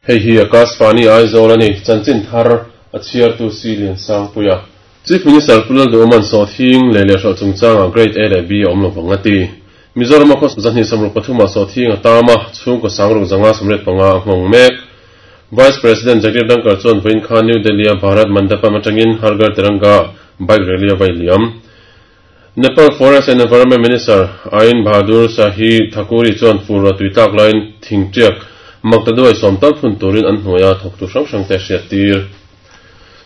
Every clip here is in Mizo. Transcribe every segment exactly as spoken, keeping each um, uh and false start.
Hei hi Akashvani Aizawl ani chanchin thar a chhiar tu si lian sang puia. Chief Minister Pu Lalduhoma'n sawhthing leh leh hrawh chungchanga Grade A leh B a awm lovang a ti. Mizoram a khaw zahnih sawmruk pathum ah sawhthing a tam a, chhungkaw sangruk zanga sawmriat panga a nghawng mek. Vice President Jagdeep Dhankhar chuan vawiin khan New Delhi a Bharat Mandapam atangin Har Ghar Tiranga bike rally a vai liam. Nepal Forest and Environment Minister Ain Bahadur Shahi Thakuri chuan fur a tui tlak laiin thingtiak maktaduai sawm tal phun turin an hnuai a thawk tu hrang hrang te hriat tir.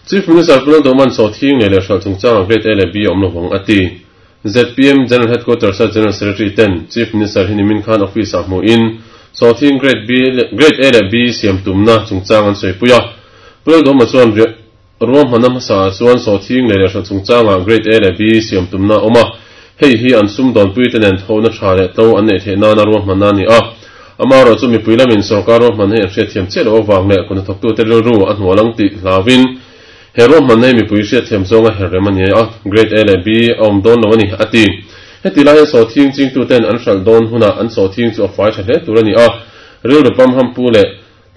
Chief Minister Pu Lalduhoma'n sawhthing leh leh hrawh chungchanga Grade A leh B a awm lovang a ti. Z P M General Headquarters a General Secretary ten Chief Minister hi nimin khan office ah hmuhin sawhthing Grade B Grade A leh B siam tumna chungchang an sawi pui a. Pu Lalduhoma chuan ruahmanna hmasa ah chuan sawhthing leh leh hrawh chungchanga Grade A leh B siam tumna a awm a. Hei hi an sum dawnpui te nen thona tha leh tlo an neih theih nana ruahmanna a ni a. Ama rawh chu mipui lamin sorkar ruahmanna hi an hriat thiam chiah loh avang leh kut hnathawktu te rilru a hnualang tih hlauin he ruahmanna hi mipui hriat thiam zawnga her rem a ni a, Grade A leh B a awm dawn lo a ni a ti. Heti lai hian sawhthing chingtu ten an hralh dawn hunah an sawhthing chu a fai tha hle tur a ni a, rilru pam ham pu leh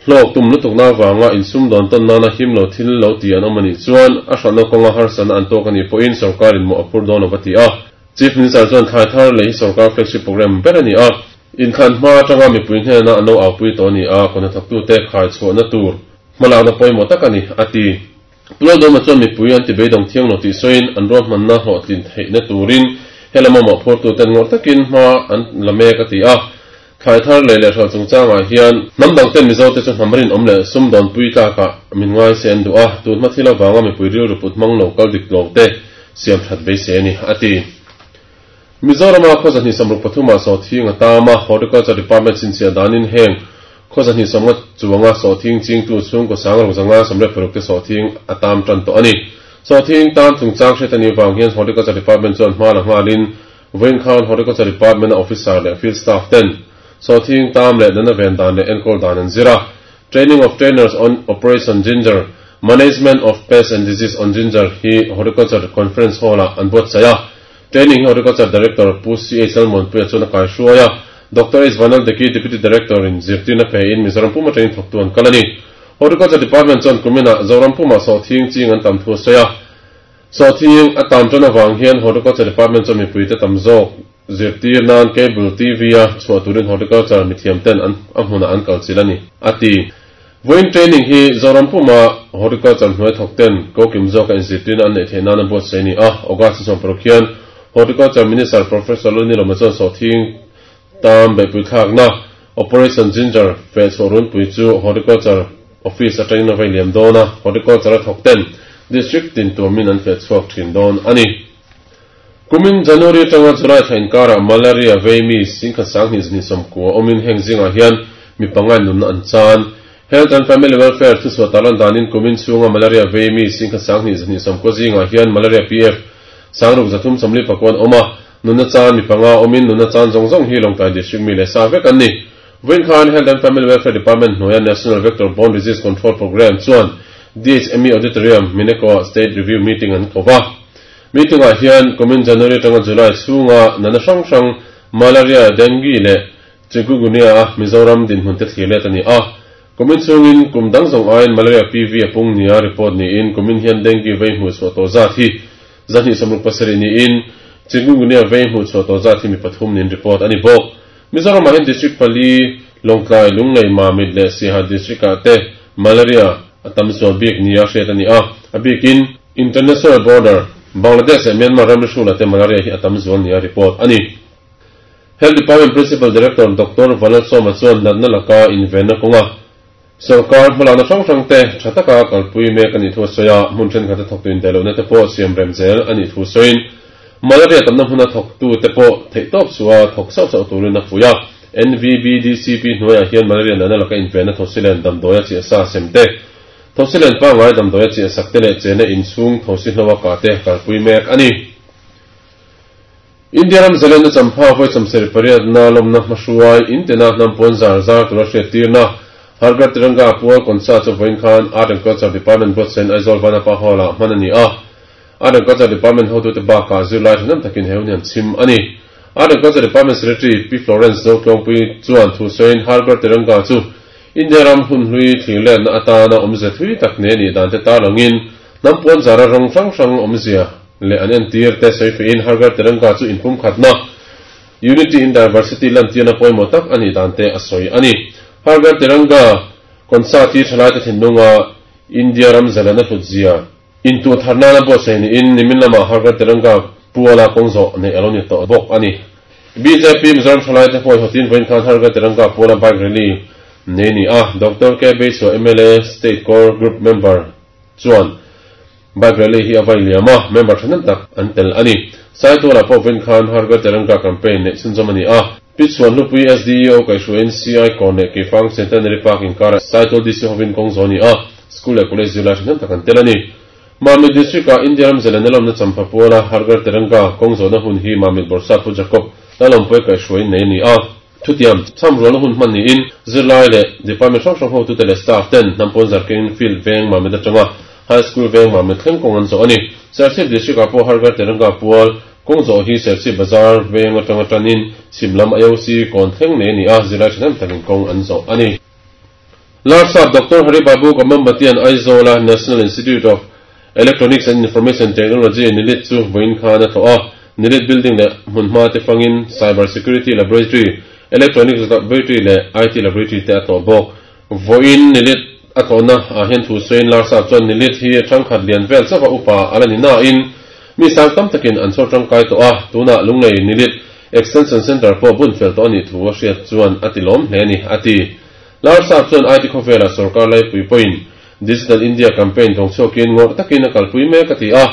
hlawk tum lutukna avanga insum dawn tawn nana him lo thil lo ti an awm a nih chuan a hralhna kawnga harsatna an tawk a nih pawhin sorkarin mawh a phur dawn lo va ti a. Chief Minister chuan thlai thar leh hi sorkar flagship program ber a ni a, inkhan hma atanga mipui hnena an lo aupui tawh a ni a, kut hnathawktu te khai chhuahna tur hmalakna pawimawh tak a ni a ti. Pu Lalduhoma chuan mipui an ti beidawng thiang lo tih sawiin an ruahmanna hlawhtlin theihna turin helama mawhphurtu ten ngawrh takin hma an la mek a ti a. Thlai thar leh leh hrawh chungchangah hian hnam dang ten Mizo te chu hnam rinawm leh sum dawnpui tlakah min ngai se an duh a, tun hma thil avanga mipui rilru put hmang lo kal dik lo te siam that beisei a ni a ti. Mizorama khaw zahnih sawmruk pathum ah sawhthing a tam a, Horticulture Department chhinchhiah danin heng khaw zahnih sawmnga chuanga sawhthing chingtu chhungkaw sangruk zanga sawmriat paruk te sawhthing a tam tan tawh a ni. Sawhthing tam chungchang hriat a nih vang hian Horticulture Department chuan hma la nghalin vawiin khan Horticulture Department a officer leh field staff ten sawhthing tam leh nana ven dan leh enkawl dan an zir a. Training of Trainers on Operation Ginger, Management of Pests and Disease on Ginger hi Horticulture Conference Hall ah an buatsaih a. Training hi Horticulture Director Pu C H Lalmuanpuia chuan a kai hruai a. Doctor H Vanaldeki Deputy Director in zirtirna pe in Mizoram puma training thawktu an kal a ni. Horticulture Department chuan kuminah Zoram puma sawhthing ching an tam thu a sawi a. Sawhthing a tam tan avang hian Horticulture Department chuan mipui te tam zawk zirtir nan cable T V a chhuah turin Horticulture mithiam ten an a hmunah an kal chil a ni a ti. Vawiin training hi Zoram puma Horticulture hnuai thawk ten kokim zawka inzirtirna an neih theih nan a buatsaih a ni a. August sawm paruk hian Horticulture Minister Professor Lalnilawma chuan sawhthing tam beihpui thlakna Operation Ginger feh chhuah runpui chu Horticulture Office atangin a vai liam dawn a, Horticulture a thawk ten District tin tuamin an feh chhuak thin dawn a ni. Kumin January atanga July thla inkarah malaria vei mi singkhat sanghnih zahnih sawmkua awmin heng zingah hian mi pangai nunna an chan. Health and Family Welfare thuchhuah tarlan danin kumin chhunga malaria vei mi singkhat sanghnih zahnih sawmkua zingah hian malaria P F sangruk zathum sawmli pakuan awm a, nunna chan mi panga awmin nunna chan zawng zawng hi Lawngtlai District mi leh sa vek an ni. Vawiin khan Health and Family Welfare Department hnuaia National Vector Borne Disease Control Programme chuan D H M E Auditorium Mineko State Review Meeting an ko va. Meeting ah hian kumin January atanga July chhunga nana hrang hrang malaria, dengue leh chikungunya a Mizoram dinhmun te thlir let a ni a. Kumin chhungin kum dang zawng aiin malaria P V a pung nia report niin kumin hian dengue vei hmuh chhuah tawh zat hi zahnih sawmruk pasarih niin chikungunya vei hmuh chhuah tawh zat hi mi pathum niin report a ni bawk. Mizoram ah hian district pali Lawngtlai, Lunglei, Mamit leh Siaha district ah te malaria a tam zual bik nia hriat a ni a. A bikin International border Bangladesh leh Myanmar ramri hrula te malaria hi a tam zual nia report a ni. Health Department Principal Director Doctor Vanlalsawma chuan natna laka invenna kawnga sorkar hmalakna hrang hrang te tha taka kalpui mek a nih thu a sawi a, hmun thenkhat a thawktu indaihlohna te pawh siam rem zel a nih thu sawiin malaria tamna hmuna thawktu te pawh theih tawp chu a thawk sauh sauh turin a fuih a. N V B D C P hnuaiah hian malaria natna laka invenna thosilen damdawi a chiah sa sem te, thosilen pangngai damdawi a chiah sak te leh chena inchhung thosi hlo a kah te kalpui mek a ni. India ram zalenna champha vawi chawmsarih pariat na lawmna hmahruai intena hnam pawn zar zar tura hriat tirna Har Ghar Tiranga pual concert chu vawiin khan Art and Culture Department buatsain Aizawl Vanapa Hall ah hman a ni a. Art and Culture Department hotute bakah zirlai thanem takin he hun hi an chhim a ni. Art and Culture Department Secretary P Florence Zotlawngpui chuan thu sawiin Har Ghar Tiranga chu India ram hun hlui thlir na atana awmze thui tak ne ni dan te tarlangin hnam puan zara rawng hrang hrang awmzia leh an entir te sawi fein Har Ghar Tiranga chu inpum khatna Unity in Diversity lan tirna pawimawh tak ani dan te a sawi ani. Har Ghar Tiranga concert hi thalai te thinlunga India ram zalana hlutzia intu tharna na bo sei ni in nimin lama Har Ghar Tiranga puala kawngzo nei alo ni tawh bawk ani. B J P Mizoram thalai te pawh hotin vawiin khan Har Ghar Tiranga puala bike rally nei ni a. Doctor K Beiso M L A State Core Group member chuan bike rally hi a vai liam a, member thanem tak an tel ani. Saituala pawh vawiin khan Har Ghar Tiranga campaign nei chhunzawm ani a. Pitchuan Hlupui S D E O kaihhruaiin C I Kawn leh Keifang Centenary Park inkara Saitual D C hovin kawng zo ni a, school leh college zirlai thanem tak an tel ani. Mamit District a India ram zalana lawmna champha puala Har Ghar Tiranga kawng zawhna hun hi Mamit Borsap Pu Jacob Lalawmpui kaihhruaiin nei ani a. Thutiam chhamrualna hun hman niin zirlai leh department hrang hrang hotu te leh staff ten hnam pawn zarkeng field veng Mamit atanga High School veng Mamit thleng kawng an zawh ani. Serchhip District ah pawh Har Ghar Tiranga pual kawng zawh hi Serchhip Bazar veng atanga tanin chhimlam I O C kawn thleng nei ani a, zirlai thahnem takin kawng an zawh ani. Larsap Doctor Hari Babu Kambhampatian Aizawl a National Institute of Electronics and Information Technology NIELIT chu vawiin khan a tlawh a. NIELIT building leh hmunhma te fangin Cyber Security Laboratory, Electronics Laboratory leh I T Laboratory te a tlawh bawk. Vawiin NIELIT a tlawhna ah hian thu sawiin Larsap chuan NIELIT hi thangkhat lian vel chauha upa ala ni na in mi sang tam takin an chhawr tangkai tawh a. Tunah Lunglei NIELIT Extension Center pawh bun fel tawh ani thu a hriat chuan a ti lawm hle ni a ti. Larsap chuan I T khawvela sarkar laipui pawhin Digital India campaign thawng chhuakin ngawrh takin a kalpui mek a ti a.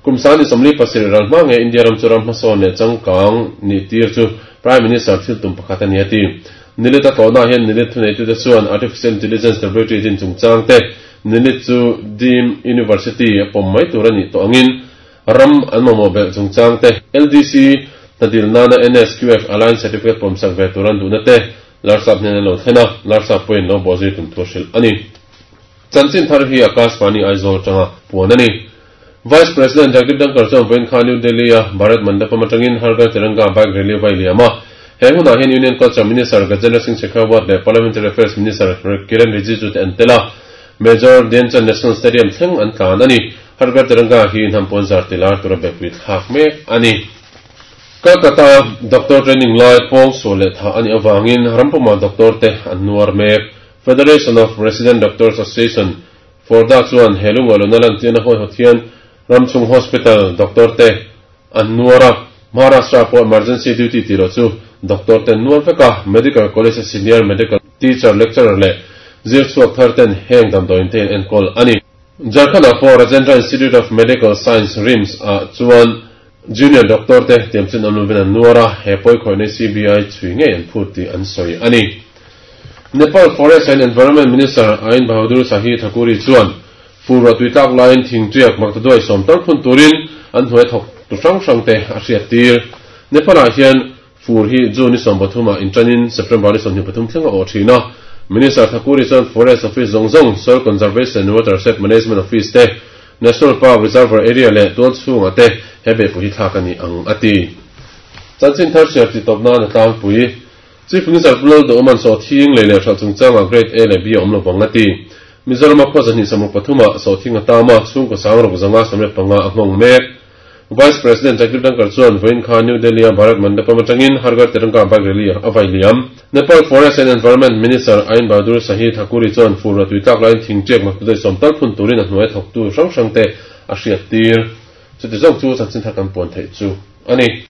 Kum sani sawmli pasarih ral hma nge India ram chu ram hmasawn leh changkang ni tir chu Prime Minister thil tum pakhat ani a ti. NIELIT a tlawhna hian NIELIT thuneitute chuan Artificial Intelligence Laboratory din chungchang te NIELIT chu Deemed University a pawm mai tur ani tawh angin ram an mamawh belh chungchang te L D C hnadil nana N S Q F Alliance Certificate pawm sak ve tur an duhna te Larsap hnen an lo thlen a, Larsap pawhin lo bawh zui tum thu a hrilh ani. Chanchin thar hi Akashvani Aizawl atanga puan ani. Vice President Jagdeep Dhankhar chuan vawiin khan New Delhi a Bharat Mandapam atangin Har Ghar Tiranga bike rally vai liam a. He hunah hian Union Culture Minister Gajendra Singh Shekhawat leh Parliamentary Affairs Minister Kiren Rijiju te an tel a. Major Dhyanchand National Stadium thleng an tlan ani. Har Ghar Tiranga hi hnam pawn zar tilar tura bepui thlak mek ani. Kolkata doctor training lai pawng sual leh tha ani awangin rampuma doctor te an nuar mek. Federation of Resident Doctors Association Forda chuan helunga luna lan tirna hawi hawthian Ramchung Hospital doctor te an nuara Maharashtra pawh emergency duty tilo chu doctor ten nuar veka Medical College senior medical teacher lecturer leh zir chhuak thar ten heng damdawiin te in enkawl ani. Jharkhand ah pawh Rajendra Institute of Medical Science RIMS ah chuan junior doctor te tiamchin an luvin an nuara he pawi khawih C B I chui ngei an phut tih an sawi ani. Nepal Forest and Environment Minister Ain Bahadur Shahi Thakuri chuan furwa tuitlak lain thingtuiak maktaduai sawm tal phun turin an hnuai thawk tu hrang hrang te a hriat tir. Nepal ah hian fur hi June ni sawm pathum ah intanin September ni sawmhnih pathum thleng a awh thin a. Minister Thakuri chuan Forest Office zawng zawng, Soil Conservation and Watershed Management Office te, National Park Reservoir Area leh tual chhunga te he behpui hi thlak ani ang a ti. Chanchin thar hriat ti tawp nan a tlangpui. Chief Minister Pu Lalduhoma'n sawhthing lei leh hralh chungchanga Grade A leh B a awm lovang a ti. Mizoram a khua zahnih samruk pathum ah sawhthing a tam a, chhungkaw sang ruk zanga samriat panga a nghawng mek. Vice President Jagdeep Dhankhar chuan vawiin khan New Delhi a Bharat Mandapam atangin Har Ghar Tiranga bike rally a vai liam. Nepal Forest and Environment Minister Ain Bahadur Shahi Thakuri chuan furwa tuitlak lain thingtiak maktaduai sawm tal phun turin a hnuai thawktu hrang hrang te a hriat tir. Chuti zawng chu chanchin thar kan puan theih chu ani.